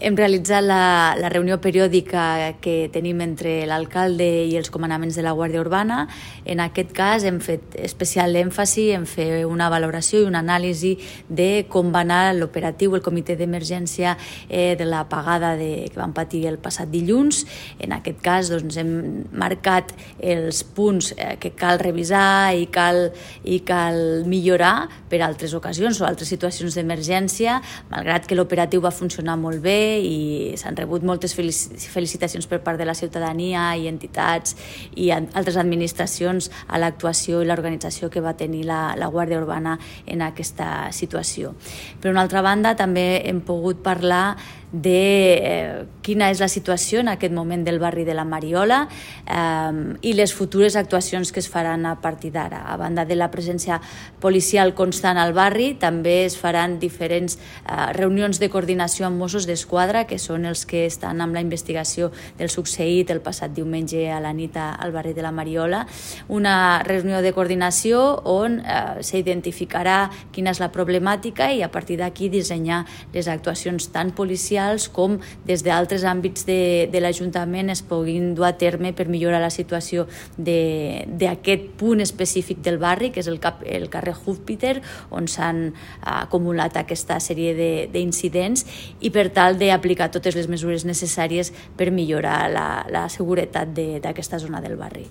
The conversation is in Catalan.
Hem realitzat la reunió periòdica que tenim entre l'alcalde i els comandaments de la Guàrdia Urbana. En aquest cas hem fet especial èmfasi en fer una valoració i una anàlisi de com va anar l'operatiu, el comitè d'emergència de l'apagada que vam patir el passat dilluns. En aquest cas hem marcat els punts que cal revisar i cal millorar per a altres ocasions o altres situacions d'emergència, malgrat que l'operatiu va funcionar molt bé i s'han rebut moltes felicitacions per part de la ciutadania i entitats i altres administracions a l'actuació i l'organització que va tenir la Guàrdia Urbana en aquesta situació. Per una altra banda, també hem pogut parlar de quina és la situació en aquest moment del barri de la Mariola i les futures actuacions que es faran a partir d'ara. A banda de la presència policial constant al barri, també es faran diferents reunions de coordinació amb Mossos d'Esquadra, que són els que estan amb la investigació del succeït el passat diumenge a la nit al barri de la Mariola. Una reunió de coordinació on s'identificarà quina és la problemàtica i a partir d'aquí dissenyar les actuacions tant policials com des d'altres àmbits de l'Ajuntament es puguin dur a terme per millorar la situació d'aquest punt específic del barri, que és el carrer Júpiter, on s'han acumulat aquesta sèrie d'incidents i per tal d'aplicar totes les mesures necessàries per millorar la seguretat d'aquesta zona del barri.